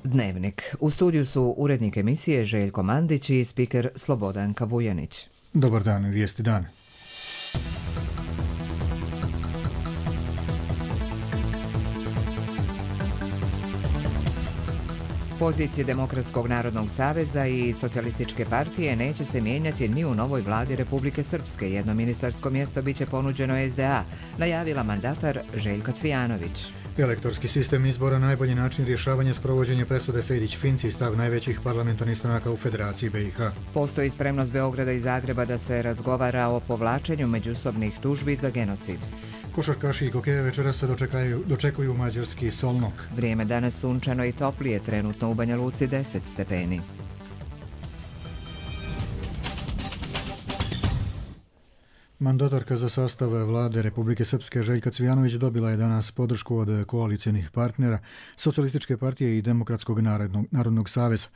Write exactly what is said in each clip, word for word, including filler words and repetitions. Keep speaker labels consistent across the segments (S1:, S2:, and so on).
S1: Dnevnik. U studiju su urednik emisije Željko Mandić i spiker Slobodanka Vujanić.
S2: Dobar dan, vijesti dan.
S1: Pozicije Demokratskog narodnog saveza i Socijalističke partije neće se mijenjati ni u novoj vladi Republike Srpske. Jedno ministarsko mjesto biće ponuđeno es de a, najavila mandatar Željka Cvijanović.
S2: Elektorski sistem izbora najbolji način rješavanja sprovođenja presude Sejdić-Finci, stav najvećih parlamentarnih stranaka u Federaciji be i ha.
S1: Postoji spremnost Beograda i Zagreba da se razgovara o povlačenju međusobnih tužbi za genocid.
S2: Košarkaši i kokeje večeras se dočekaju, dočekuju mađarski Solnok.
S1: Vrijeme danas sunčano i toplije, trenutno u Banja Luci deset stepeni.
S2: Mandatarka za sastav vlade Republike Srpske Željka Cvijanović dobila je danas podršku od koalicijnih partnera Socijalističke partije i Demokratskog narodnog, narodnog saveza.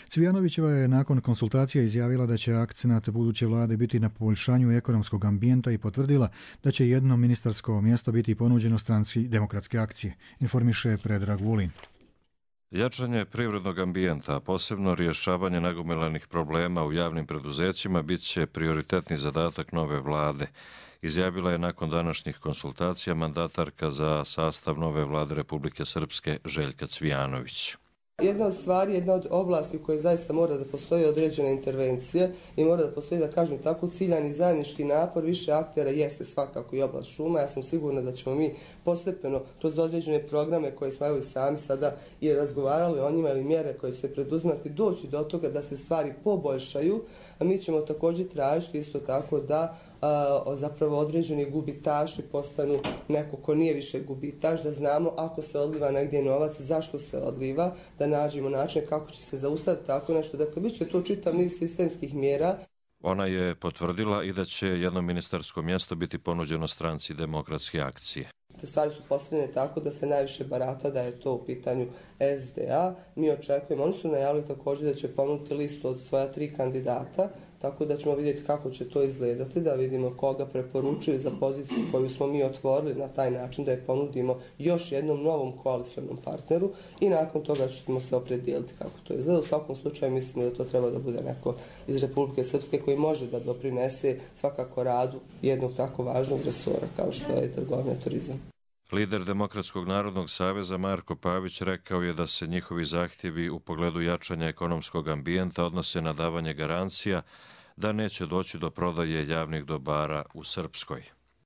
S2: Cvijanovićeva je nakon konsultacija izjavila da će akcenat buduće vlade biti na poboljšanju ekonomskog ambijenta i potvrdila da će jedno ministarsko mjesto biti ponuđeno stranci Demokratske akcije, informiše Predrag Vulin.
S3: Jačanje privrednog ambijenta, a posebno rješavanje nagomilanih problema u javnim preduzećima bit će prioritetni zadatak nove vlade, izjavila je nakon današnjih konsultacija mandatarka za sastav nove vlade Republike Srpske Željka Cvijanović.
S4: Jedna od stvari, jedna od oblasti u kojoj zaista mora da postoji određena intervencija i mora da postoji, da kažem tako, ciljani zajednički napor više aktera jeste svakako i oblast šuma. Ja sam sigurna da ćemo mi postepeno kroz određene programe koje smo evo i sami sada i razgovarali o njima ili mjere koje će se preduzimati doći do toga da se stvari poboljšaju, a mi ćemo također tražiti isto tako da a, zapravo određeni gubitaši postanu neko ko nije više gubitaš, da znamo ako se odliva negdje novac, zašto se odliva, da nađemo način kako će se zaustaviti tako nešto. Dakle, bit će to čitav niz sistemskih mjera.
S3: Ona je potvrdila i da će jedno ministarsko mjesto biti ponuđeno stranci Demokratske akcije.
S4: Te stvari su postavljene tako da se najviše barata da je to u pitanju es de a. Mi očekujemo, oni su najavili također da će ponuditi listu od svoja tri kandidata, tako da ćemo vidjeti kako će to izgledati, da vidimo koga preporučuju za poziciju koju smo mi otvorili na taj način, da je ponudimo još jednom novom koalicionom partneru i nakon toga ćemo se opredijeliti kako to izgleda. U svakom slučaju mislimo da to treba da bude neko iz Republike Srpske koji može da doprinese svakako radu jednog tako važnog resora kao što je trgovina i turizam.
S3: Lider Demokratskog narodnog saveza Marko Pavić rekao je da se njihovi zahtjevi u pogledu jačanja ekonomskog ambijenta odnose na davanje garancija da neće doći do prodaje javnih dobara u Srpskoj.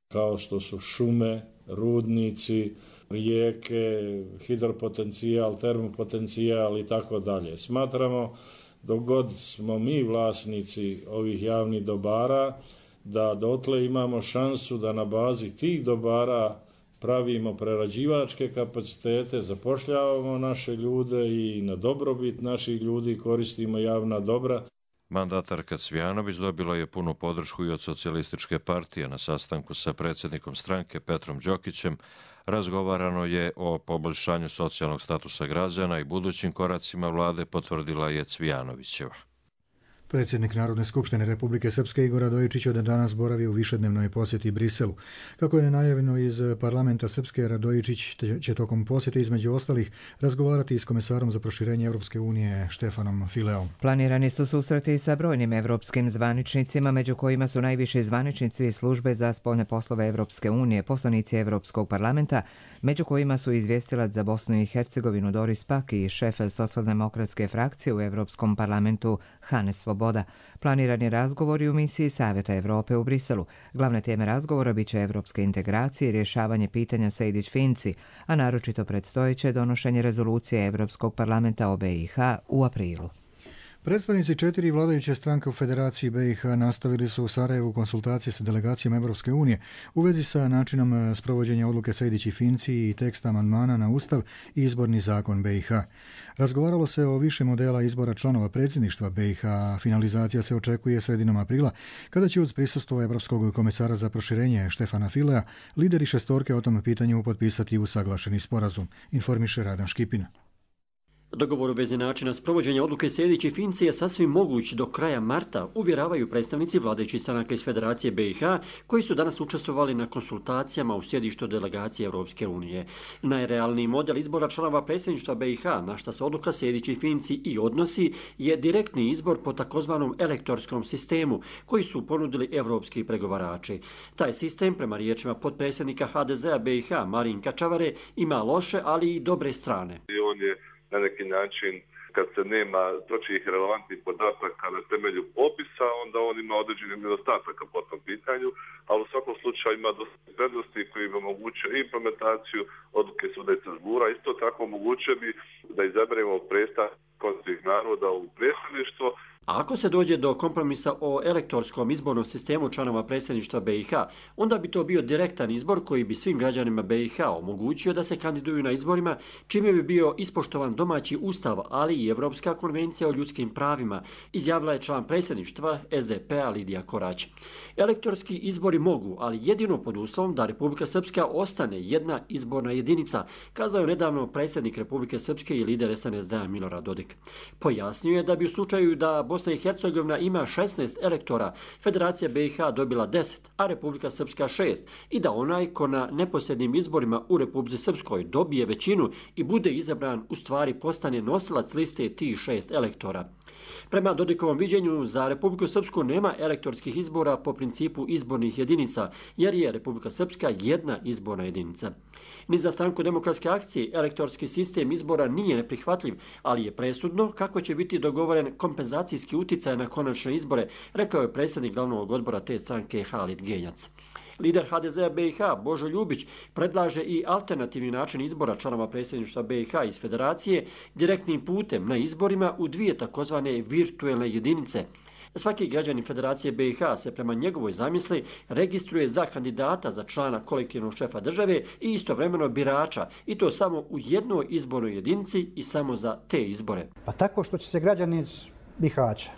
S5: Kao što su šume, rudnici, rijeke, hidropotencijal, termopotencijal i tako dalje. Smatramo dok god smo mi vlasnici ovih javnih dobara, da dotle imamo šansu da na bazi tih dobara pravimo prerađivačke kapacitete, zapošljavamo naše ljude i na dobrobit naših ljudi koristimo javna dobra.
S3: Mandatarka Cvijanović dobila je punu podršku i od Socijalističke partije. Na sastanku sa predsjednikom stranke Petrom Đokićem razgovarano je o poboljšanju socijalnog statusa građana i budućim koracima vlade, potvrdila je Cvijanovićeva.
S2: Predsjednik Narodne skupštine Republike Srpske Igor Radojičić od danas boravi u višednevnoj posjeti Briselu. Kako je najavljeno iz parlamenta Srpske, Radojičić će tokom posjete između ostalih razgovarati s komesarom za proširenje Evropske unije Štefanom Fileom.
S1: Planirani su susreti sa brojnim evropskim zvaničnicima, među kojima su najviši zvaničnici službe za spoljne poslove Evropske unije, poslanici Evropskog parlamenta, među kojima su izvjestilac za Bosnu i Hercegovinu Doris Pack i šef socijaldemokratske frakcije u Evropskom parlamentu Hannes Svoboda. Planirani razgovori u misiji Savjeta Evrope u Briselu. Glavne teme razgovora bit će evropske integracije i rješavanje pitanja Sejdić-Finci, a naročito predstojeće donošenje rezolucije Evropskog parlamenta o be i ha u aprilu.
S2: Predstavnici četiri vladajuće stranke u Federaciji be i ha nastavili su u Sarajevu konsultacije sa delegacijom Evropske unije u vezi sa načinom sprovođenja odluke Sejdić i Finci i teksta amandmana na Ustav i izborni zakon be i ha. Razgovaralo se o više modela izbora članova predsjedništva be i ha. Finalizacija se očekuje sredinom aprila, kada će uz prisustvo Evropskog komesara za proširenje Štefana Filea lideri šestorke o tom pitanju potpisati usaglašeni sporazum, informiše Radan Škipina.
S6: Dogovor u vezi načina sprovođenja odluke Sejdić i Finci je sasvim moguć do kraja marta, uvjeravaju predstavnici vladajućih stranaka iz Federacije B i H, koji su danas učestvovali na konsultacijama u sjedištu delegacije Europske unije. Najrealniji model izbora članova predsjedništva B i H, na šta se odluka Sejdić i Finci i odnosi, je direktni izbor po takozvanom elektorskom sistemu, koji su ponudili evropski pregovarači. Taj sistem, prema riječima potpredsjednika H D Z-a B i H, Marinka Čavare, ima loše, ali i dobre strane.
S7: On je na neki način, kad se nema točnih relevantnih podataka na temelju popisa, onda on ima određenih nedostataka po tom pitanju, ali u svakom slučaju ima dosta prednosti koji bi omogućio implementaciju odluke suda iz Strasbourga. Isto tako omogućio bi da izaberemo predstavnika konstitutivnih naroda u predsjedništvo.
S6: A ako se dođe do kompromisa o elektorskom izbornom sistemu članova predsjedništva B i H, onda bi to bio direktan izbor koji bi svim građanima B i H omogućio da se kandiduju na izborima, čime bi bio ispoštovan domaći ustav, ali i Evropska konvencija o ljudskim pravima, izjavila je član predsjedništva S D P-a Lidija Korać. Elektorski izbori mogu, ali jedino pod uslovom da Republika Srpska ostane jedna izborna jedinica, kazao je nedavno predsjednik Republike Srpske i lider S N S D-a Milorad Dodik. Pojasnio je da bi u slučaju da Bosna i Hercegovina ima šesnaest elektora, Federacija B i H dobila deset, a Republika Srpska šest, i da onaj ko na neposrednim izborima u Republici Srpskoj dobije većinu i bude izabran, u stvari postane nosilac liste tih šest elektora. Prema Dodikovom viđenju, za Republiku Srpsku nema elektorskih izbora po principu izbornih jedinica, jer je Republika Srpska jedna izborna jedinica. Ni za Stranku demokratske akcije elektorski sistem izbora nije neprihvatljiv, ali je presudno kako će biti dogovoren kompenzacijski uticaj na konačne izbore, rekao je predsjednik glavnog odbora te stranke Halid Genjac. Lider H D Z-a B i H, Božo Ljubić, predlaže i alternativni način izbora članova predsjedništva B i H iz Federacije direktnim putem na izborima u dvije takozvane virtuelne jedinice. Svaki građanin Federacije B i H se prema njegovoj zamisli registruje za kandidata za člana kolektivnog šefa države i istovremeno birača, i to samo u jednoj izbornoj jedinici i samo za te izbore.
S8: Pa tako što će se građani iz Bihaća,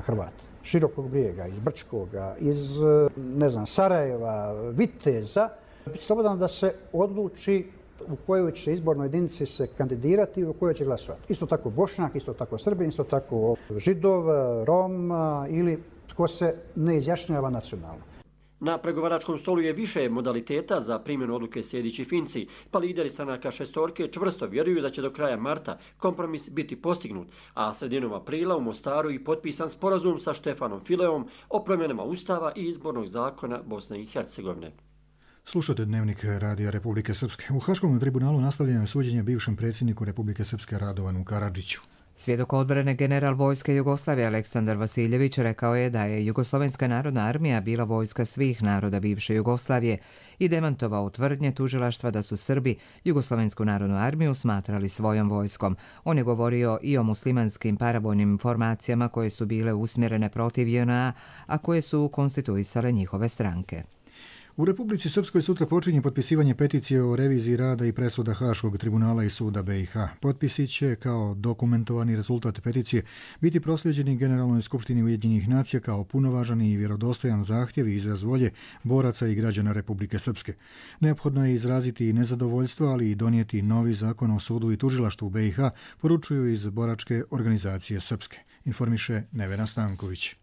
S8: Hrvati, Širokog Brijega, iz Brčkoga, iz, ne znam, Sarajeva, Viteza, biti slobodan da se odluči u kojoj će izbornoj jedinici se kandidirati i u kojoj će glasovati. Isto tako Bošnjak, isto tako Srbin, isto tako Židov, Rom ili tko se ne izjašnjava nacionalno.
S6: Na pregovaračkom stolu je više modaliteta za primjenu odluke Sejdić i Finci, pa lideri stranaka šestorke čvrsto vjeruju da će do kraja marta kompromis biti postignut, a sredinom aprila u Mostaru i potpisan sporazum sa Štefanom Fileom o promjenama ustava i izbornog zakona Bosne i Hercegovine.
S2: Slušate Dnevnik Radija Republike Srpske. U Haškom tribunalu nastavljeno je suđenje bivšem predsjedniku Republike Srpske Radovanu Karadžiću.
S1: Svjedok odbrane general vojske Jugoslavije Aleksandar Vasiljević rekao je da je Jugoslovenska narodna armija bila vojska svih naroda bivše Jugoslavije i demantovao tvrdnje tužilaštva da su Srbi Jugoslovensku narodnu armiju smatrali svojom vojskom. On je govorio i o muslimanskim paravojnim formacijama koje su bile usmjerene protiv J N A, a koje su konstituisale njihove stranke.
S2: U Republici Srpskoj sutra počinje potpisivanje peticije o reviziji rada i presuda Haškog tribunala i suda B i H. Potpisi će, kao dokumentovani rezultat peticije, biti prosljeđeni Generalnoj skupštini Ujedinjenih nacija kao punovažan i vjerodostojan zahtjev i izraz volje boraca i građana Republike Srpske. Neophodno je izraziti nezadovoljstvo, ali i donijeti novi zakon o sudu i tužilaštvu B i H, poručuju iz boračke organizacije Srpske, informiše Nevena Stanković.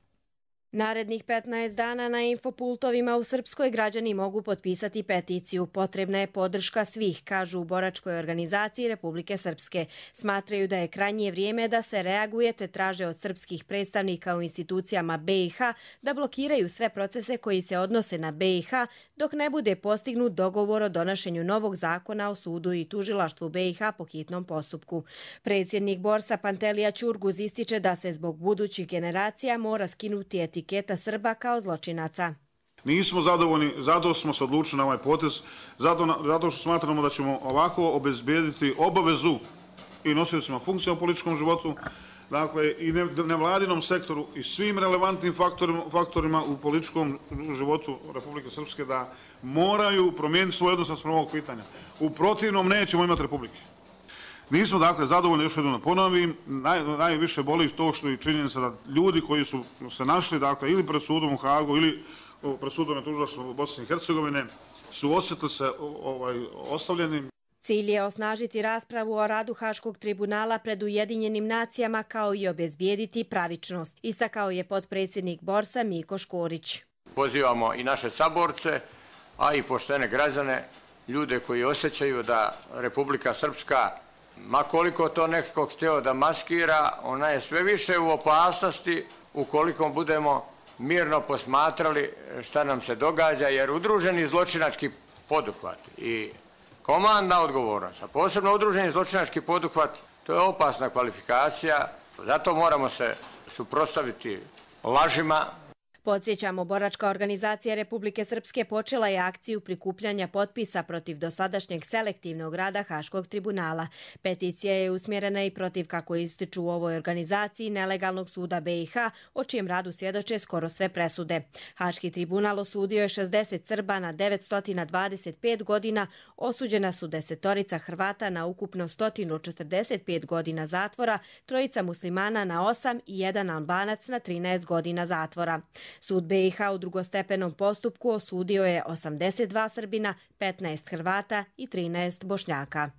S9: Narednih petnaest dana na infopultovima u Srpskoj građani mogu potpisati peticiju. Potrebna je podrška svih, kažu u boračkoj organizaciji Republike Srpske. Smatraju da je krajnje vrijeme da se reaguje te traže od srpskih predstavnika u institucijama B i H da blokiraju sve procese koji se odnose na B i H dok ne bude postignut dogovor o donošenju novog zakona o sudu i tužilaštvu B i H po hitnom postupku. Predsjednik Borsa Pantelija Ćurguz ističe da se zbog budućih generacija mora skinuti etiketa etiketa Srba kao zločinaca.
S10: Nismo zadovoljni, zato smo se odlučili na ovaj potez, zato, zato što smatramo da ćemo ovako obezbijediti obavezu i nosiocima funkcija u političkom životu, dakle i nevladinom sektoru i svim relevantnim faktorima, faktorima u političkom životu Republike Srpske da moraju promijeniti svoj odnos naspram ovog pitanja. U protivnom nećemo imati republike. Nismo dakle zadovoljni, još jednom ponovim, naj, najviše boli to što je činjenica da ljudi koji su se našli dakle ili pred sudom u Hagu ili pred sudom na tužilaštvu Bosne i Hercegovine su osjetili se ovaj, ostavljeni.
S9: Cilj je osnažiti raspravu o radu Haškog tribunala pred Ujedinjenim nacijama kao i obezbijediti pravičnost, istakao je potpredsjednik Borsa Miko Škorić.
S11: Pozivamo i naše saborce, a i poštene građane, ljude koji osjećaju da Republika Srpska, ma koliko to nekako htio da maskira, ona je sve više u opasnosti ukoliko budemo mirno posmatrali šta nam se događa, jer udruženi zločinački poduhvat i komandna odgovornost, a posebno udruženi zločinački poduhvat, to je opasna kvalifikacija, zato moramo se suprotstaviti lažima.
S9: Podsjećamo, boračka organizacija Republike Srpske počela je akciju prikupljanja potpisa protiv dosadašnjeg selektivnog rada Haškog tribunala. Peticija je usmjerena i protiv, kako ističu u ovoj organizaciji, nelegalnog suda be i ha, o čijem radu svjedoče skoro sve presude. Haški tribunal osudio je šezdeset Srba na devetsto dvadeset pet godina, osuđena su desetorica Hrvata na ukupno sto četrdeset pet godina zatvora, trojica muslimana na osam i jedan Albanac na trinaest godina zatvora. Sud be i ha u drugostepenom postupku osudio je osamdeset dva Srbina, petnaest Hrvata i trinaest Bošnjaka.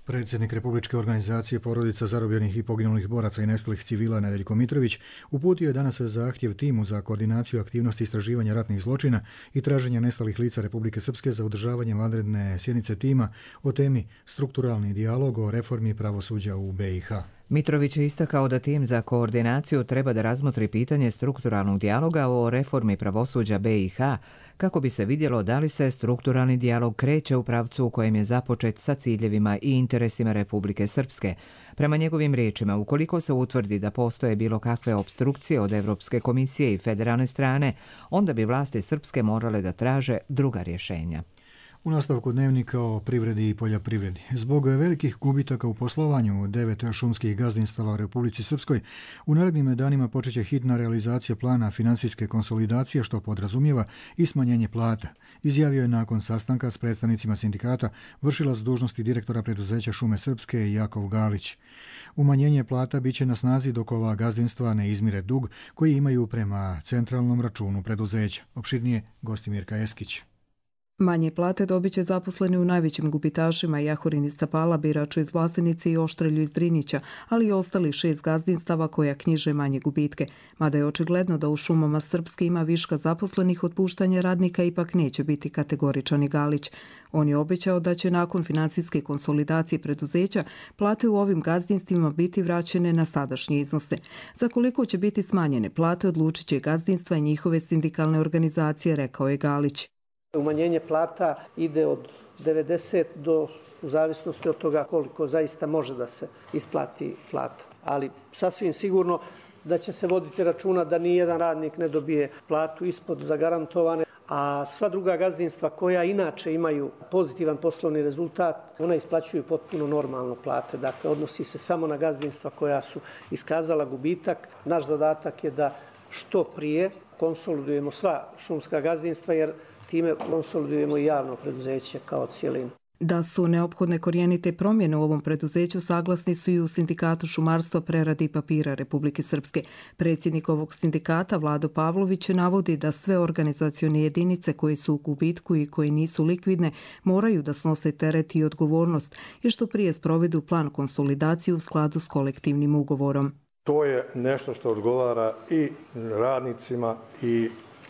S2: Predsjednik Republičke organizacije porodica zarobljenih i poginulih boraca i nestalih civila Nedeljko Mitrović uputio je danas zahtjev timu za koordinaciju aktivnosti istraživanja ratnih zločina i traženja nestalih lica Republike Srpske za održavanje vanredne sjednice tima o temi strukturalni dijalog o reformi pravosuđa u be i ha.
S1: Mitrović je istakao da tim za koordinaciju treba da razmotri pitanje strukturalnog dijaloga o reformi pravosuđa be i ha, kako bi se vidjelo da li se strukturalni dijalog kreće u pravcu u kojem je započet sa ciljevima i interesima Republike Srpske. Prema njegovim riječima, ukoliko se utvrdi da postoje bilo kakve opstrukcije od Evropske komisije i federalne strane, onda bi vlasti Srpske morale da traže druga rješenja.
S2: U nastavku dnevnika o privredi i poljoprivredi. Zbog velikih gubitaka u poslovanju devet šumskih gazdinstava u Republici Srpskoj, u narednim danima počeće hitna realizacija plana finansijske konsolidacije, što podrazumijeva i smanjenje plata, izjavio je nakon sastanka s predstavnicima sindikata vršilac dužnosti direktora preduzeća Šume Srpske Jakov Galić. Umanjenje plata biće na snazi dok ova gazdinstva ne izmire dug koji imaju prema centralnom računu preduzeća. Opširnije Gostimirka Eskić.
S12: Manje plate dobit će zaposleni u najvećim gubitašima Jahorin iz Capala, Biraču iz Vlasenice i Oštrelju iz Drinića, ali i ostali šest gazdinstava koja knjiže manje gubitke. Mada je očigledno da u šumama Srpske ima viška zaposlenih, otpuštanje radnika ipak neće biti kategoričan i Galić. On je obećao da će nakon finansijske konsolidacije preduzeća plate u ovim gazdinstvima biti vraćene na sadašnje iznose. Za koliko će biti smanjene plate odlučit će gazdinstva i njihove sindikalne organizacije, rekao je Galić.
S13: Umanjenje plata ide od devedeset do, u zavisnosti od toga koliko zaista može da se isplati plata. Ali sasvim sigurno da će se voditi računa da nijedan radnik ne dobije platu ispod zagarantovane, a sva druga gazdinstva koja inače imaju pozitivan poslovni rezultat, ona isplaćuju potpuno normalno plate. Dakle, odnosi se samo na gazdinstva koja su iskazala gubitak. Naš zadatak je da što prije konsolidujemo sva šumska gazdinstva, jer time konsolidujemo i javno preduzeće kao cijelinu.
S12: Da su neophodne korijenite promjene u ovom preduzeću saglasni su i u Sindikatu šumarstva, prerade i papira Republike Srpske. Predsjednik ovog sindikata Vlado Pavlović navodi da sve organizacione jedinice koje su u gubitku i koje nisu likvidne moraju da snose teret i odgovornost i što prije sprovedu plan konsolidacije u skladu s kolektivnim ugovorom.
S14: To je nešto što odgovara i radnicima i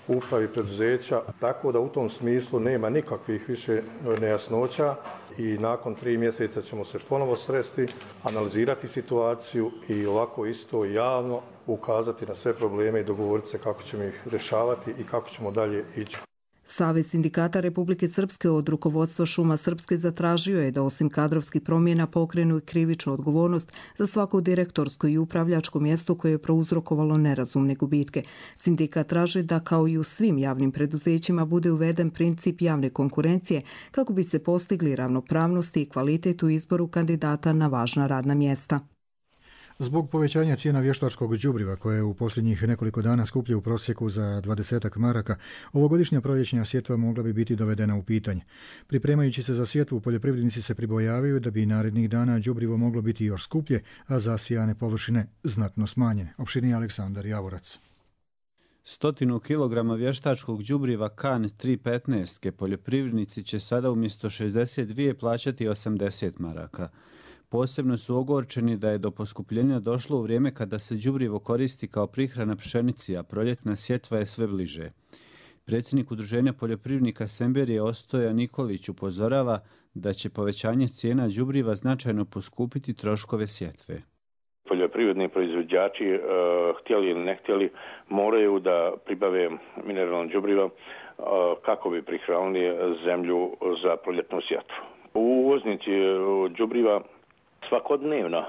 S14: upravi preduzeća, tako da u tom smislu nema nikakvih više nejasnoća i nakon tri mjeseca ćemo se ponovo sresti, analizirati situaciju i ovako isto javno ukazati na sve probleme i dogovoriti se kako ćemo ih rješavati i kako ćemo dalje ići.
S12: Savez sindikata Republike Srpske od rukovodstva Šuma Srpske zatražio je da osim kadrovskih promjena pokrenu i krivičnu odgovornost za svako direktorsko i upravljačko mjesto koje je prouzrokovalo nerazumne gubitke. Sindikat traži da kao i u svim javnim preduzećima bude uveden princip javne konkurencije kako bi se postigli ravnopravnosti i kvalitet u izboru kandidata na važna radna mjesta.
S2: Zbog povećanja cijena vještačkog đubriva koje u posljednjih nekoliko dana skuplje u prosjeku za dvadesetak maraka, ovogodišnja proljećna sjetva mogla bi biti dovedena u pitanje. Pripremajući se za sjetvu, poljoprivrednici se pribojavaju da bi narednih dana đubrivo moglo biti još skuplje, a zasijane površine znatno smanjene. Opširniji Aleksandar Javorac.
S15: Stotinu kilograma vještačkog đubriva kan tri petnaest poljoprivrednici će sada umjesto šezdeset dvije plaćati osamdeset maraka. Posebno su ogorčeni da je do poskupljenja došlo u vrijeme kada se đubrivo koristi kao prihrana pšenici, a proljetna sjetva je sve bliže. Predsjednik Udruženja poljoprivrednika Semberije Ostoja Nikolić upozorava da će povećanje cijena đubriva značajno poskupiti troškove sjetve.
S16: Poljoprivredni proizvođači, e, htjeli ili ne htjeli, moraju da pribave mineralno đubrivo e, kako bi prihranili zemlju za proljetnu sjetvu. Uvoznici đubriva svakodnevno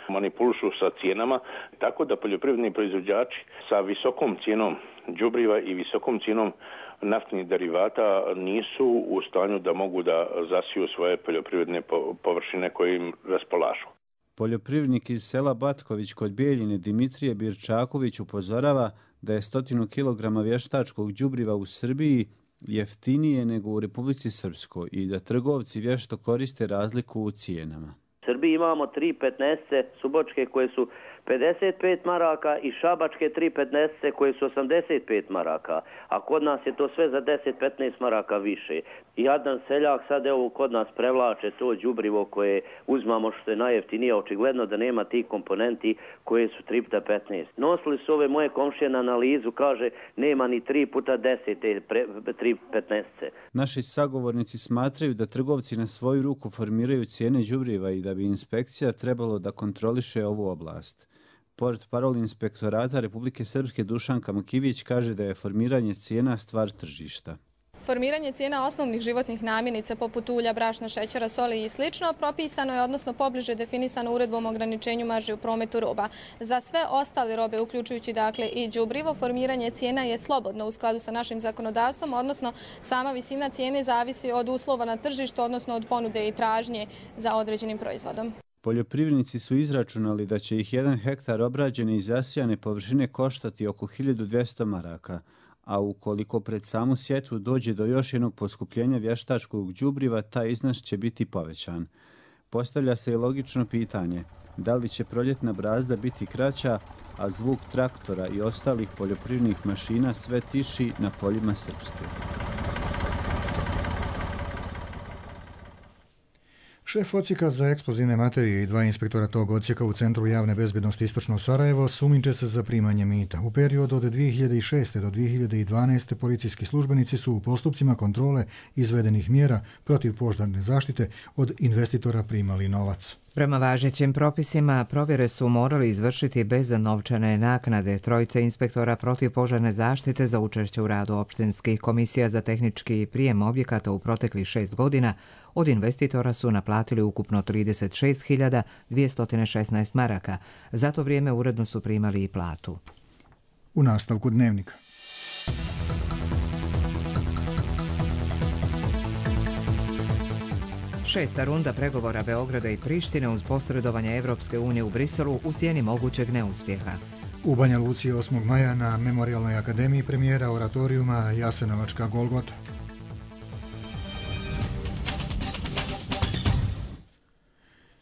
S16: manipulišu sa cijenama, tako da poljoprivredni proizvođači sa visokom cijenom đubriva i visokom cijenom naftnih derivata nisu u stanju da mogu da zasiju svoje poljoprivredne površine koje im raspolažu.
S15: Poljoprivrednik iz sela Batković kod Bijeljine Dimitrije Birčaković upozorava da je stotinu kilograma vještačkog đubriva u Srbiji jeftinije nego u Republici Srpskoj i da trgovci vješto koriste razliku u cijenama.
S17: U Srbiji imamo tri petnaeste subočke koje su pedeset pet maraka i šabačke tri petnaeste koje su osamdeset pet maraka, a kod nas je to sve za deset do petnaest maraka više. I jadan seljak sad evo kod nas prevlače to đubrivo koje uzmamo što je najjeftinije, očigledno da nema tih komponenti koje su tri puta petnaest. Nosili su ove moje komšije na analizu, kaže nema ni tri puta deset, tri petnaest.
S15: Naši sagovornici smatraju da trgovci na svoju ruku formiraju cijene đubriva i da bi inspekcija trebalo da kontroliše ovu oblast. Portparol inspektorata Republike Srpske Dušanka Makivić kaže da je formiranje cijena stvar tržišta.
S18: Formiranje cijena osnovnih životnih namirnica poput ulja, brašna, šećera, soli i slično propisano je, odnosno pobliže definisano uredbom o ograničenju marži u prometu roba. Za sve ostale robe, uključujući dakle i đubrivo, formiranje cijena je slobodno u skladu sa našim zakonodavstvom, odnosno sama visina cijene zavisi od uslova na tržištu, odnosno od ponude i tražnje za određenim proizvodom.
S15: Poljoprivrednici su izračunali da će ih jedan hektar obrađene i zasijane površine koštati oko hiljadu dvjesto maraka, a ukoliko pred samu sjetvu dođe do još jednog poskupljenja vještačkog đubriva, taj iznos će biti povećan. Postavlja se i logično pitanje, da li će proljetna brazda biti kraća, a zvuk traktora i ostalih poljoprivrednih mašina sve tiši na poljima Srpske.
S2: Šef odsjeka za eksplozivne materije i dva inspektora tog odsjeka u Centru javne bezbjednosti Istočno Sarajevo sumnjiče se za primanje mita. U periodu od dvije hiljade šeste. do dvije hiljade dvanaeste. policijski službenici su u postupcima kontrole izvedenih mjera protiv požarne zaštite od investitora primali novac.
S1: Prema važećim propisima, provjere su morali izvršiti bez novčane naknade. Trojica inspektora protiv požarne zaštite za učešće u radu opštinskih komisija za tehnički prijem objekata u proteklih šest godina od investitora su naplatili ukupno trideset šest hiljada dvjesto šesnaest maraka. Za to vrijeme uredno su primali i platu.
S2: U nastavku dnevnika.
S1: Šesta runda pregovora Beograda i Prištine uz posredovanje Evropske unije u Briselu u sjeni mogućeg neuspjeha.
S2: U Banja Luci osmog maja na Memorijalnoj akademiji premijera oratorijuma Jasenovačka Golgota.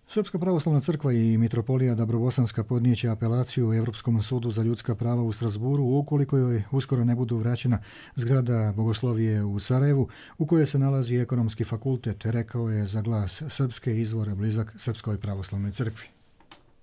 S2: Srpska pravoslavna crkva i mitropolija Dabrobosanska podnijeće apelaciju Evropskom sudu za ljudska prava u Strasburu ukoliko joj uskoro ne budu vraćena zgrada Bogoslovije u Sarajevu u kojoj se nalazi ekonomski fakultet, rekao je za Glas Srpske izvor blizak Srpskoj pravoslavnoj crkvi.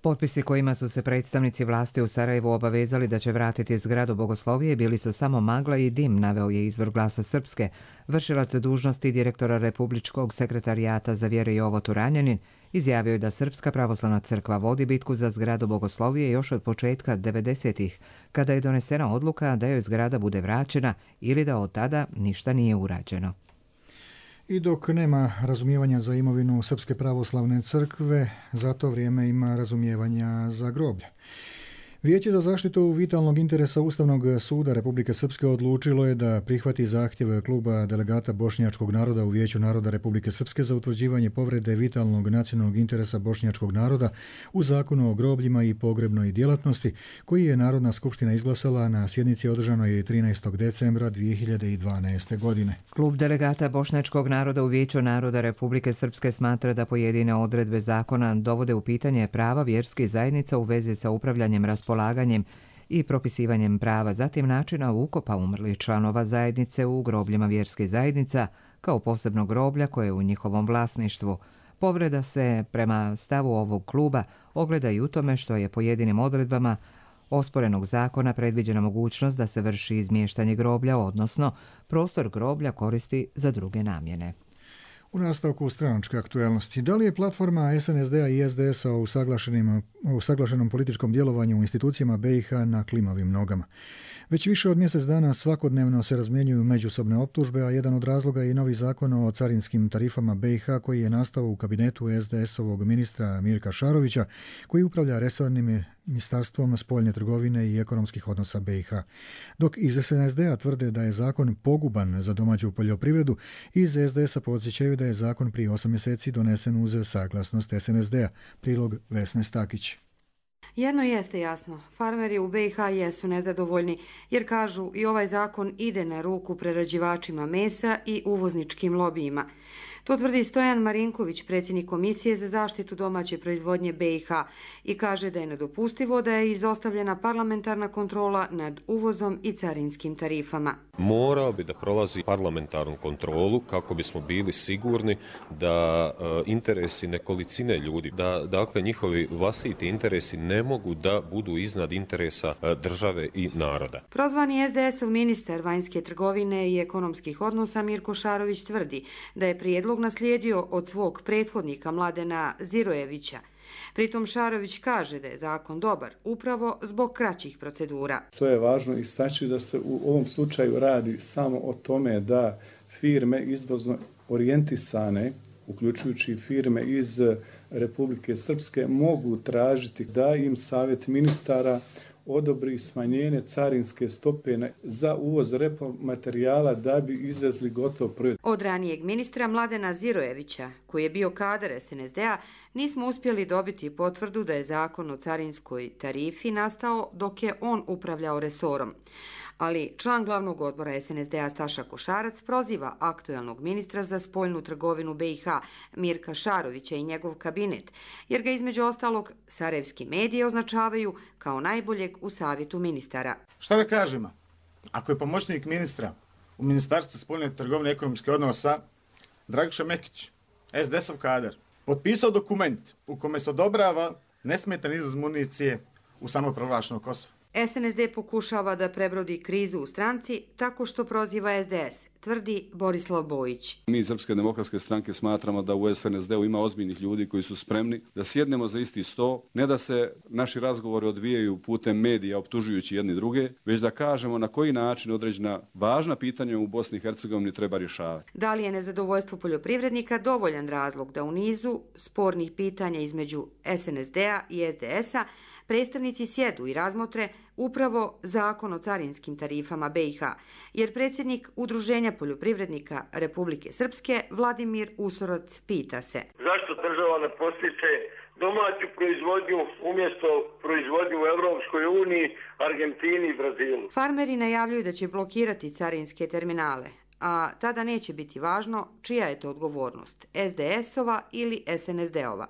S1: Potpisi kojima su se predstavnici vlasti u Sarajevu obavezali da će vratiti zgradu Bogoslovije bili su samo magla i dim, naveo je izvor Glasa Srpske. Vršilac dužnosti direktora Republičkog sekretarijata za vjere Jovo Turanjanin izjavio je da Srpska pravoslavna crkva vodi bitku za zgradu Bogoslovije još od početka devedesetih, kada je donesena odluka da joj zgrada bude vraćena ili da od tada ništa nije urađeno.
S2: I dok nema razumijevanja za imovinu Srpske pravoslavne crkve, za to vrijeme ima razumijevanja za groblje. Vijeće za zaštitu vitalnog interesa Ustavnog suda Republike Srpske odlučilo je da prihvati zahtjev kluba delegata bošnjačkog naroda u Vijeću naroda Republike Srpske za utvrđivanje povrede vitalnog nacionalnog interesa bošnjačkog naroda u Zakonu o grobljima i pogrebnoj djelatnosti, koji je Narodna skupština izglasala na sjednici održanoj trinaestog decembra dvije hiljade dvanaeste. godine.
S1: Klub delegata bošnjačkog naroda u Vijeću naroda Republike Srpske smatra da pojedine odredbe zakona dovode u pitanje prava vjerskih zajednica u vezi sa upravljanjem raspolaganjem i propisivanjem prava, zatim načina ukopa umrlih članova zajednice u grobljima vjerskih zajednica kao posebnog groblja koje je u njihovom vlasništvu. Povreda se, prema stavu ovog kluba, ogleda i u tome što je pojedinim odredbama osporenog zakona predviđena mogućnost da se vrši izmještanje groblja, odnosno prostor groblja koristi za druge namjene.
S2: U nastavku stranačke aktuelnosti, da li je platforma S N S D-a i S D S-a o usaglašenom političkom djelovanju u institucijama B i H na klimavim nogama? Već više od mjesec dana svakodnevno se razmjenjuju međusobne optužbe, a jedan od razloga je i novi zakon o carinskim tarifama B i H koji je nastao u kabinetu S D S-ovog ministra Mirka Šarovića, koji upravlja resornim ministarstvom spoljne trgovine i ekonomskih odnosa B i H. Dok iz S N S D-a tvrde da je zakon poguban za domaću poljoprivredu, iz S D S-a podsjećaju da je zakon prije osam mjeseci donesen uz saglasnost S N S D-a. Prilog Vesne Stakić.
S19: Jedno jeste jasno, farmeri u B i H jesu nezadovoljni jer kažu i ovaj zakon ide na ruku prerađivačima mesa i uvozničkim lobijima. To tvrdi Stojan Marinković, predsjednik Komisije za zaštitu domaće proizvodnje B i H, i kaže da je nedopustivo da je izostavljena parlamentarna kontrola nad uvozom i carinskim tarifama.
S20: Morao bi da prolazi parlamentarnu kontrolu kako bismo bili sigurni da e, interesi nekolicine ljudi, da dakle njihovi vlastiti interesi ne mogu da budu iznad interesa e, države i naroda.
S19: Prozvani S D S-ov ministar vanjske trgovine i ekonomskih odnosa Mirko Šarović tvrdi da je prijedlog naslijedio od svog prethodnika Mladena Zirojevića. Pritom Šarović kaže da je zakon dobar upravo zbog kraćih procedura.
S21: To je važno istaći da se u ovom slučaju radi samo o tome da firme izvozno orijentisane, uključujući firme iz Republike Srpske, mogu tražiti da im savjet ministara odobri smanjenje carinske stope za uvoz repromaterijala da bi izvezli gotov proizvod.
S19: Od ranijeg ministra Mladena Zirojevića, koji je bio kadar S N S D-a, nismo uspjeli dobiti potvrdu da je zakon o carinskoj tarifi nastao dok je on upravljao resorom. Ali član glavnog odbora S N S D-a Staša Košarac proziva aktuelnog ministra za spoljnu trgovinu B i H Mirka Šarovića i njegov kabinet, jer ga između ostalog sarajevski mediji označavaju kao najboljeg u savjetu ministara.
S22: Šta da kažemo? Ako je pomoćnik ministra u Ministarstvu spoljne trgovine i ekonomske odnosa Dragiša Mekić, S D S-ov kadar, potpisao dokument u kome se odobrava nesmetan izvoz municije u samoproglašeno Kosovo.
S19: S N S D pokušava da prebrodi krizu u stranci tako što proziva S D S, tvrdi Borislav Bojić.
S23: Mi iz Srpske demokratske stranke smatramo da u S N S D-u ima ozbiljnih ljudi koji su spremni da sjednemo za isti sto, ne da se naši razgovori odvijaju putem medija optužujući jedni druge, već da kažemo na koji način određena važna pitanja u Bosni i Hercegovini treba rješavati.
S19: Da li je nezadovoljstvo poljoprivrednika dovoljan razlog da u nizu spornih pitanja između S N S D-a i S D S-a predstavnici sjedu i razmotre upravo zakon o carinskim tarifama B i H, jer predsjednik Udruženja poljoprivrednika Republike Srpske Vladimir Usoroc pita se:
S24: zašto država ne postiče domaću proizvodnju umjesto proizvodnju u Europskoj uniji, Argentini i Brazilu?
S19: Farmeri najavljuju da će blokirati carinske terminale, a tada neće biti važno čija je to odgovornost, S D S-ova ili S N S D-ova.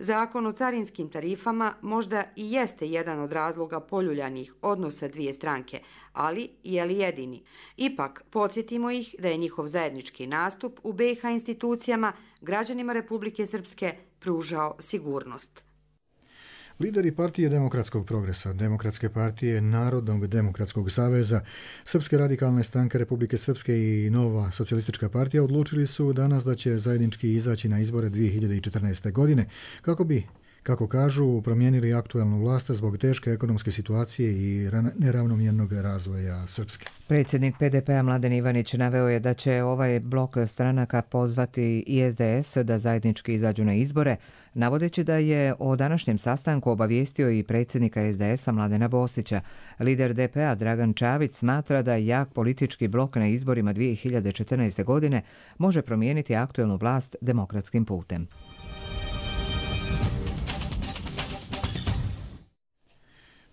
S19: Zakon o carinskim tarifama možda i jeste jedan od razloga poljuljanih odnosa dvije stranke, ali je li jedini? Ipak, podsjetimo ih da je njihov zajednički nastup u B i H institucijama građanima Republike Srpske pružao sigurnost.
S2: Lideri Partije demokratskog progresa, Demokratske partije Narodnog demokratskog saveza, Srpske radikalne stranke Republike Srpske i Nova socijalistička partija odlučili su danas da će zajednički izaći na izbore dvije hiljade četrnaeste. godine kako bi, kako kažu, promijenili aktualnu vlast zbog teške ekonomske situacije i neravnomjernog razvoja Srpske.
S1: Predsjednik P D P-a Mladen Ivanić naveo je da će ovaj blok stranaka pozvati i S D S da zajednički izađu na izbore, navodeći da je o današnjem sastanku obavijestio i predsjednika S D S-a Mladena Bosića. Lider D P-a Dragan Čavić smatra da jak politički blok na izborima dvije hiljade četrnaeste. godine može promijeniti aktualnu vlast demokratskim putem.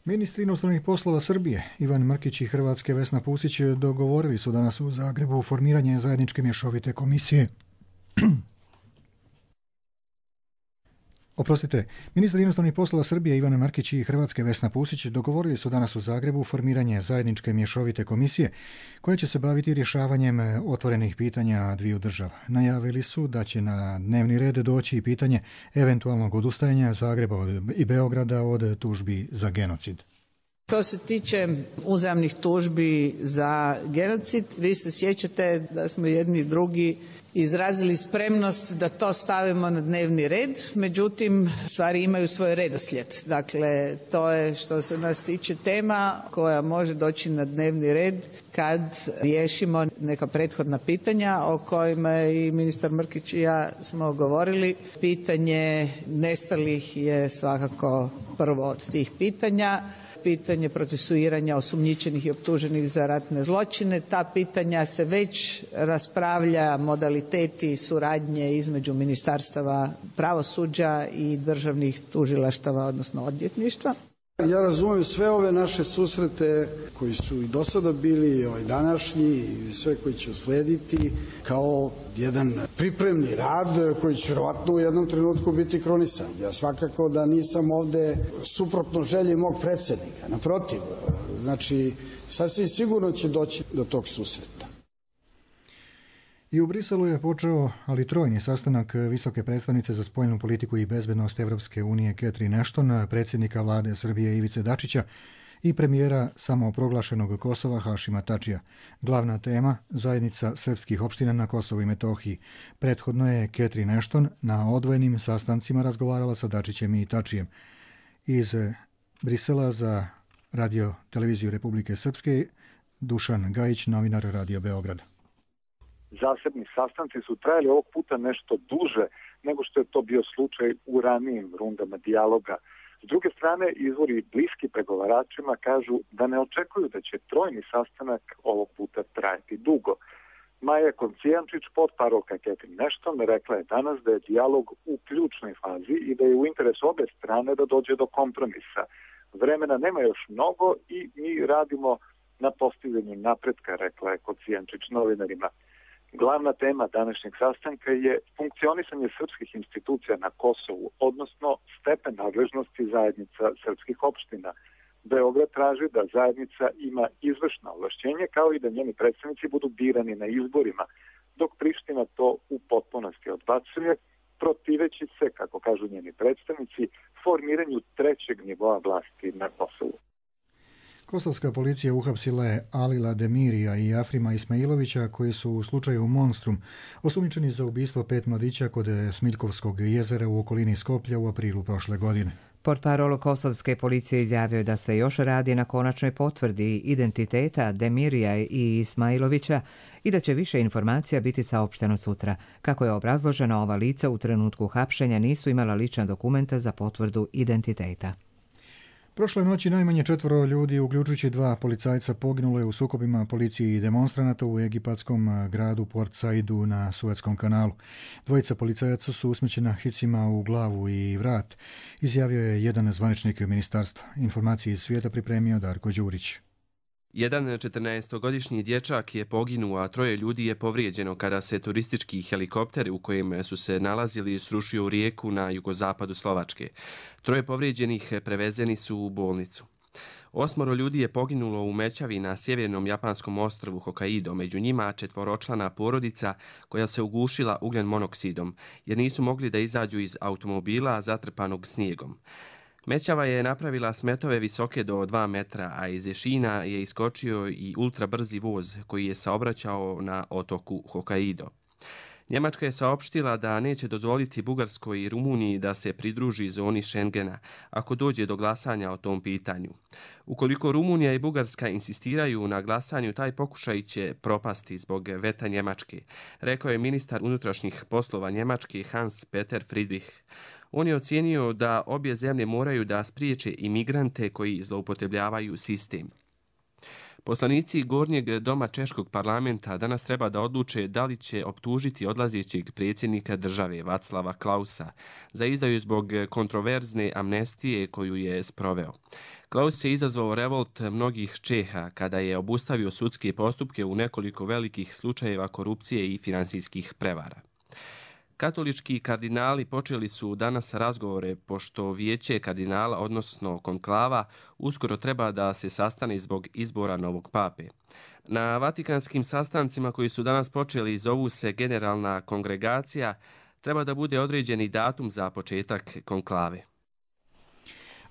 S2: Ministri inostranih poslova Srbije Ivan Mrkić i Hrvatske Vesna Pusić dogovorili su danas u Zagrebu formiranje zajedničke mješovite komisije Oprostite, ministar inostranih poslova Srbije Ivan Markić i Hrvatske Vesna Pusić dogovorili su danas u Zagrebu formiranje zajedničke mješovite komisije koja će se baviti rješavanjem otvorenih pitanja dviju država. Najavili su da će na dnevni red doći i pitanje eventualnog odustajanja Zagreba i Beograda od tužbi za genocid.
S3: Što se tiče uzajamnih tužbi za genocid, vi se sjećate da smo jedni i drugi izrazili spremnost da to stavimo na dnevni red, međutim stvari imaju svoj redoslijed. Dakle, to je što se nas tiče tema koja može doći na dnevni red kad riješimo neka prethodna pitanja o kojima i ministar Mrkić i ja smo govorili. Pitanje nestalih je svakako prvo od tih pitanja. Pitanje procesuiranja osumnjičenih i optuženih za ratne zločine. Ta pitanja se već raspravlja, modaliteti suradnje između ministarstava pravosuđa i državnih tužilaštava, odnosno odvjetništva.
S4: Ja razumijem sve ove naše susrete koji su i do sada bili, i ovaj današnji, i sve koji će uslediti, kao jedan pripremni rad koji će vjerovatno u jednom trenutku biti kronisan. Ja svakako da nisam ovde suprotno želji mog predsjednika. Naprotiv, znači, sasvim sigurno će doći do tog susreta.
S2: I u Briselu je počeo, ali trojni sastanak visoke predstavnice za spoljnu politiku i bezbednost Evropske unije Catherine Ashton, predsjednika vlade Srbije Ivice Dačića i premijera samoproglašenog Kosova Hašima Tačija. Glavna tema zajednica srpskih opština na Kosovu i Metohiji. Prethodno je Catherine Ashton na odvojenim sastancima razgovarala sa Dačićem i Tačijem. Iz Brisela za radio televiziju Republike Srpske Dušan Gajić, novinar Radio Beograd.
S5: Zasebni sastanci su trajali ovog puta nešto duže nego što je to bio slučaj u ranijim rundama dijaloga. S druge strane, izvori bliski pregovaračima kažu da ne očekuju da će trojni sastanak ovog puta trajati dugo. Maja Koncijančić, potparolka Catherine Ashton, rekla je danas da je dijalog u ključnoj fazi i da je u interesu obe strane da dođe do kompromisa. Vremena nema još mnogo i mi radimo na postizanju napretka, rekla je Koncijančić novinarima. Glavna tema današnjeg sastanka je funkcionisanje srpskih institucija na Kosovu, odnosno stepen nadležnosti zajednica srpskih opština. Beograd traži da zajednica ima izvršna ovlašćenje kao i da njeni predstavnici budu birani na izborima, dok Priština to u potpunosti odbacuje, protiveći se, kako kažu njeni predstavnici, formiranju trećeg nivoa vlasti na Kosovu.
S2: Kosovska policija uhapsila je Alila Demirija i Afrima Ismailovića koji su u slučaju Monstrum osumnjičeni za ubistvo pet mladića kod Smiljkovskog jezera u okolini Skoplja u aprilu prošle godine.
S1: Portparol kosovske policije izjavio da se još radi na konačnoj potvrdi identiteta Demirija i Ismailovića i da će više informacija biti saopšteno sutra. Kako je obrazloženo, ova lica u trenutku hapšenja nisu imala lična dokumenta za potvrdu identiteta.
S2: Prošle noći najmanje četvoro ljudi, uključujući dva policajca, poginulo je u sukobima policije i demonstranata u egipatskom gradu Port Saidu na Suetskom kanalu. Dvojica policajaca su usmrćena hicima u glavu i vrat, izjavio je jedan zvaničnik ministarstva. Informacije iz svijeta pripremio Darko Đurić.
S7: Jedan četrnaestogodišnji dječak je poginuo, a troje ljudi je povrijeđeno kada se turistički helikopter u kojem su se nalazili srušio u rijeku na jugozapadu Slovačke. Troje povrijeđenih prevezeni su u bolnicu. Osmoro ljudi je poginulo u mećavi na sjevernom japanskom ostrvu Hokkaido, među njima četvoročlana porodica koja se ugušila ugljen monoksidom, jer nisu mogli da izađu iz automobila zatrpanog snijegom. Mećava je napravila smetove visoke do dva metra, a iz šina je iskočio i ultrabrzi voz koji je saobraćao na otoku Hokkaido. Njemačka je saopštila da neće dozvoliti Bugarskoj i Rumuniji da se pridruži zoni Schengena ako dođe do glasanja o tom pitanju. Ukoliko Rumunija i Bugarska insistiraju na glasanju, taj pokušaj će propasti zbog veta Njemačke, rekao je ministar unutrašnjih poslova Njemačke Hans Peter Friedrich. On je ocijenio da obje zemlje moraju da spriječe imigrante koji zloupotrebljavaju sistem. Poslanici Gornjeg doma Češkog parlamenta danas treba da odluče da li će optužiti odlazećeg predsjednika države Vaclava Klausa za izdaju zbog kontroverzne amnestije koju je sproveo. Klaus je izazvao revolt mnogih Čeha kada je obustavio sudske postupke u nekoliko velikih slučajeva korupcije i finansijskih prevara. Katolički kardinali počeli su danas razgovore pošto vijeće kardinala, odnosno konklava, uskoro treba da se sastane zbog izbora novog pape. Na vatikanskim sastancima koji su danas počeli zovu se generalna kongregacija, treba da bude određeni datum za početak konklave.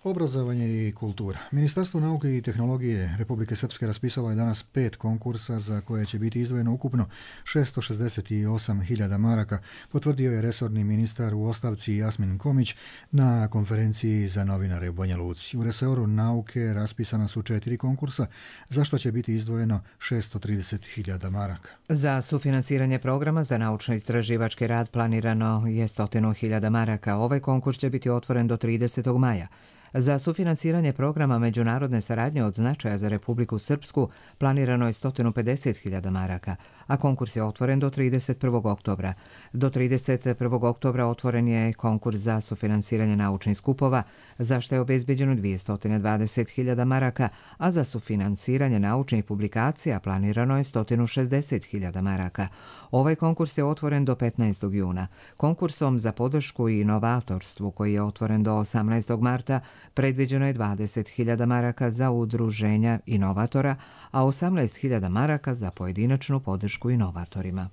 S2: Obrazovanje i kultura. Ministarstvo nauke i tehnologije Republike Srpske raspisalo je danas pet konkursa za koje će biti izdvojeno ukupno šesto šezdeset osam hiljada maraka, potvrdio je resorni ministar u ostavci Jasmin Komić na konferenciji za novinare u Banja Luci. U resoru nauke raspisana su četiri konkursa, za što će biti izdvojeno šesto trideset hiljada maraka.
S1: Za sufinansiranje programa za naučno-istraživački rad planirano je sto hiljada maraka. Ovaj konkurs će biti otvoren do tridesetog maja. Za sufinansiranje programa međunarodne saradnje od značaja za Republiku Srpsku planirano je sto pedeset hiljada maraka, a konkurs je otvoren do trideset prvog oktobra. Do trideset prvog oktobra otvoren je konkurs za sufinansiranje naučnih skupova, za što je obezbeđeno dvjesto dvadeset hiljada maraka, a za sufinansiranje naučnih publikacija planirano je sto šezdeset hiljada maraka. Ovaj konkurs je otvoren do petnaestog juna. Konkursom za podršku i inovatorstvu, koji je otvoren do osamnaestog marta, predviđeno je dvadeset hiljada maraka za udruženja inovatora, a osamnaest hiljada maraka za pojedinačnu podršku inovatorima.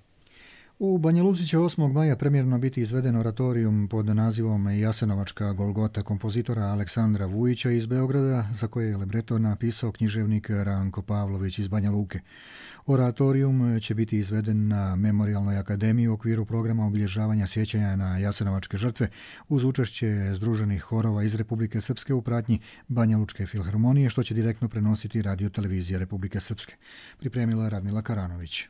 S2: U Banja Luci će osmog maja premjerno biti izveden oratorijum pod nazivom Jasenovačka Golgota kompozitora Aleksandra Vujića iz Beograda, za koje je libreto napisao književnik Ranko Pavlović iz Banja Luke. Oratorijum će biti izveden na Memorijalnoj akademiji u okviru programa obilježavanja sjećanja na jasenovačke žrtve uz učešće združenih horova iz Republike Srpske u pratnji Banja Lučke filharmonije, što će direktno prenositi radio televizija Republike Srpske. Pripremila Radmila Karanović.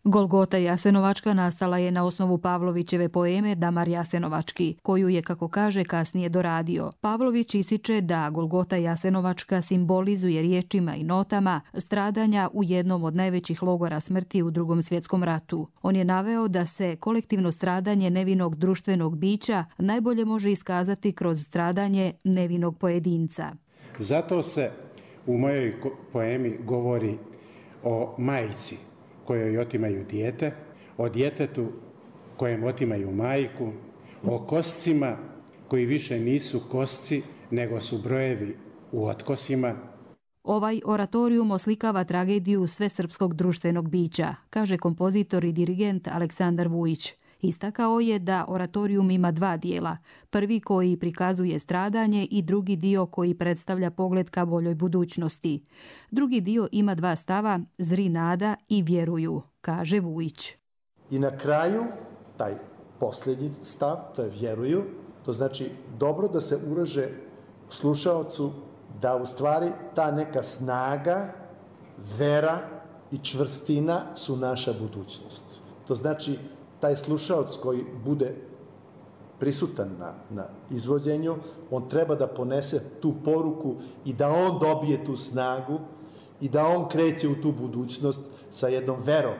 S6: Golgota Jasenovačka nastala je na osnovu Pavlovićeve poeme Damar Jasenovački, koju je, kako kaže, kasnije doradio. Pavlović ističe da Golgota Jasenovačka simbolizuje riječima i notama stradanja u jednom od najvećih logora smrti u Drugom svjetskom ratu. On je naveo da se kolektivno stradanje nevinog društvenog bića najbolje može iskazati kroz stradanje nevinog pojedinca.
S8: Zato se u mojoj poemi govori o majci kojoj otimaju dijete, o djetetu kojem otimaju majku, o koscima koji više nisu kosci, nego su brojevi u otkosima.
S6: Ovaj oratorijum oslikava tragediju svesrpskog društvenog bića, kaže kompozitor i dirigent Aleksandar Vujić. Istakao je da oratorijum ima dva dijela, prvi koji prikazuje stradanje i drugi dio koji predstavlja pogled ka boljoj budućnosti. Drugi dio ima dva stava, zri nada i vjeruju, kaže Vujić.
S10: I na kraju, taj posljednji stav, to je vjeruju, to znači dobro da se uraže slušaocu da u stvari ta neka snaga, vera i čvrstina su naša budućnost. To znači taj slušaoc koji bude prisutan na, na izvođenju, on treba da ponese tu poruku i da on dobije tu snagu i da on kreće u tu budućnost sa jednom verom.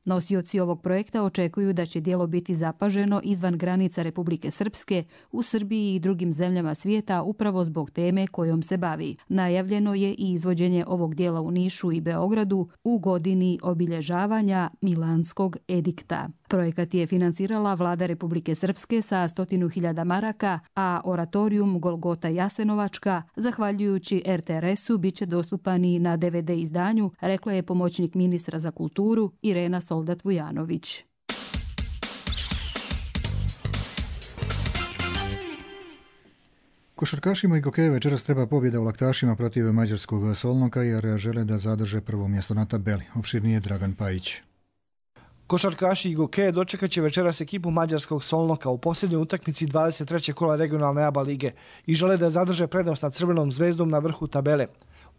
S6: Nosioci ovog projekta očekuju da će djelo biti zapaženo izvan granica Republike Srpske, u Srbiji i drugim zemljama svijeta upravo zbog teme kojom se bavi. Najavljeno je i izvođenje ovog djela u Nišu i Beogradu u godini obilježavanja Milanskog edikta. Projekat je financirala vlada Republike Srpske sa stotinu hiljada maraka, a oratorijum Golgota Jasenovačka, zahvaljujući er te er esu, bit će dostupan i na de ve de izdanju, rekla je pomoćnik ministra za kulturu Irena Soldat Vujanović.
S2: Košarkašima i Gokeje večeras treba pobjeda u laktašima protiv mađarskog Solnoka jer žele da zadrže prvo mjesto na tabeli. Opširnije Dragan Pajić.
S11: Košarkaši i Gokeje dočekat će večeras ekipu mađarskog Solnoka u posljednjoj utakmici dvadeset trećeg kola regionalne A B A lige i žele da zadrže prednost nad Crvenom zvezdom na vrhu tabele.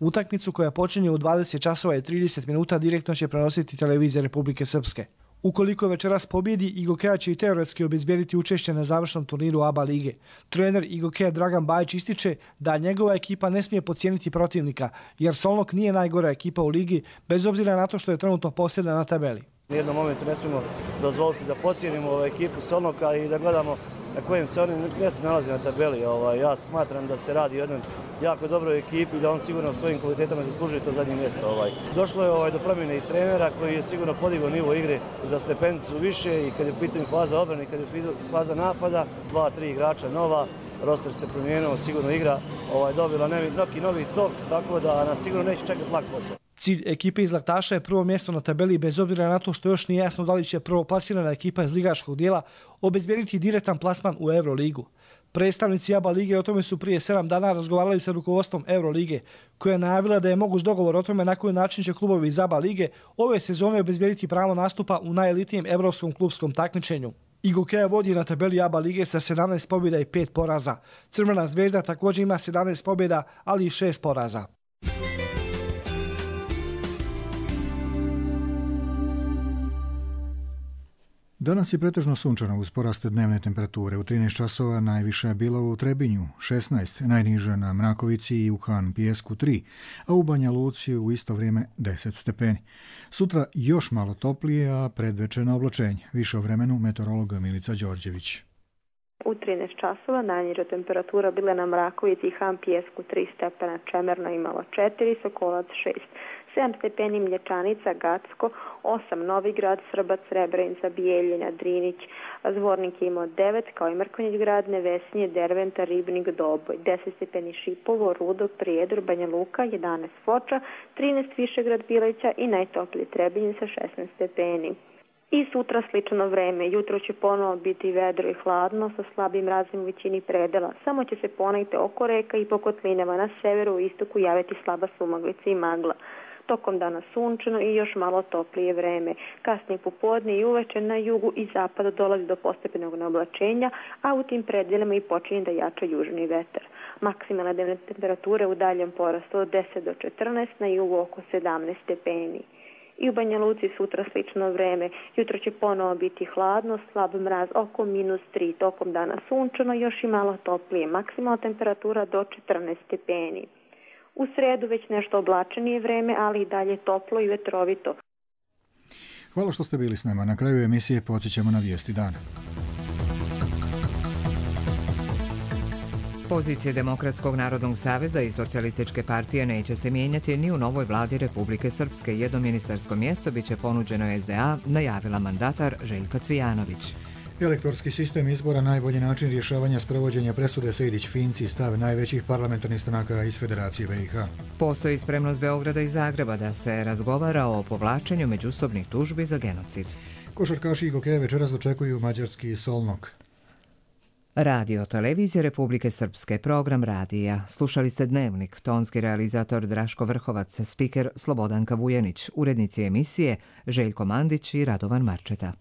S11: Utakmicu koja počinje u dvadeset časova i trideset minuta direktno će prenositi televizija Republike Srpske. Ukoliko večeras pobjedi, Igokeja će i teoretski obezbijediti učešće na završnom turniru A B A lige. Trener Igokeja Dragan Bajić ističe da njegova ekipa ne smije podcijeniti protivnika, jer Solnok nije najgora ekipa u ligi, bez obzira na to što je trenutno posljedna na tabeli.
S25: U jednom momentu ne smijemo dozvoliti da podcijenimo ekipu Solnoka i da gledamo
S9: na kojem se oni mjesto nalazi na tabeli. Ovaj, ja smatram da se radi o jednoj jako dobroj ekipi, da on sigurno svojim kvalitetama zaslužuje to zadnje mjesto. Ovaj. Došlo je ovaj, do promjene i trenera koji je sigurno podigao nivo igre za stepenicu više i kad je u pitanju faza obrane i kad je faza napada, dva, tri igrača nova, roster se promijenio, sigurno igra ovaj, dobila neki novi tok, tako da nas sigurno neće čekati lak posao.
S11: Cilj ekipe iz Laktaša je prvo mjesto na tabeli bez obzira na to što još nije jasno da li će prvoplasirana ekipa iz ligaškog dijela obezbijediti direktan plasman u Euroligu. Predstavnici ABA lige o tome su prije sedam dana razgovarali sa rukovodstvom Eurolige, koja je najavila da je moguć dogovor o tome na koji način će klubovi iz ABA lige ove sezone obezbijediti pravo nastupa u najelitnijem evropskom klubskom takmičenju. Igokeja vodi na tabeli ABA lige sa sedamnaest pobjeda i pet poraza. Crvena zvezda također ima sedamnaest pobjeda, ali i šest poraza.
S2: Danas je pretežno sunčano uz poraste dnevne temperature. U trinaest časova najviša je bila u Trebinju šesnaest, najniža na Mrakovici i u Han Pijesku tri, a u Banja Luci u isto vrijeme deset stepeni. Sutra još malo toplije, a predvečerno oblačenje. Više o vremenu meteorolog Milica Đorđević.
S12: U trinaest časova najniža temperatura bila na Mrakovici i Han Pijesku tri stepena, Čemerna imala četiri, Sokolac šest. sedam stepeni Mlječanica, Gacko, osam Novigrad, Srbac, Srebrenica, Bijeljina, Drinić, Zvornik je imao devet, kao i Mrkonjić grad, Nevesinje, Derventa, Ribnik, Doboj, deset stepeni Šipovo, Rudok, Prijedor, Banja Luka, jedanaest Foča, trinaest Višegrad, Bileća i najtopliji Trebinje sa šesnaest stepeni. I sutra slično vreme. Jutro će ponovo biti vedro i hladno sa slabim mrazom u većini predela. Samo će se ponegde oko reka i po kotlinama na severu i istoku javiti slaba sumaglica i magla. Tokom dana sunčano i još malo toplije vreme. Kasnije popodne i uveče na jugu i zapadu dolazi do postepenog neoblačenja, a u tim predelima i počinje da jača južni vetar. Maksimalne dnevne temperature u daljem porastu od deset do četrnaest, na jugu oko sedamnaest stepeni. I u Banja Luci sutra slično vreme. Jutro će ponovo biti hladno, slab mraz oko minus tri, tokom dana sunčano, još i malo toplije. Maksimalna temperatura do četrnaest stepeni. U sredu već nešto oblačenije vreme, ali i dalje toplo i vetrovito.
S2: Hvala što ste bili s nama. Na kraju emisije podsjećamo na vijesti dana.
S1: Pozicije Demokratskog narodnog saveza i Socijalističke partije neće se mijenjati ni u novoj vladi Republike Srpske. Jedno ministarsko mjesto biće ponuđeno es de a, najavila mandatar Željka Cvijanović.
S2: Elektorski sistem izbora najbolji način rješavanja sprovođenja presude Sejdić-Finci, stav najvećih parlamentarnih stranaka iz Federacije be i ha.
S1: Postoji spremnost Beograda i Zagreba da se razgovara o povlačenju međusobnih tužbi za genocid.
S2: Košarkaši Igokeje večeras dočekuju mađarski Solnok.
S1: Radio Televizije Republike Srpske, program radija. Slušali ste Dnevnik, tonski realizator Draško Vrhovac, spiker Slobodanka Vujenić, urednici emisije Željko Mandić i Radovan Marčeta.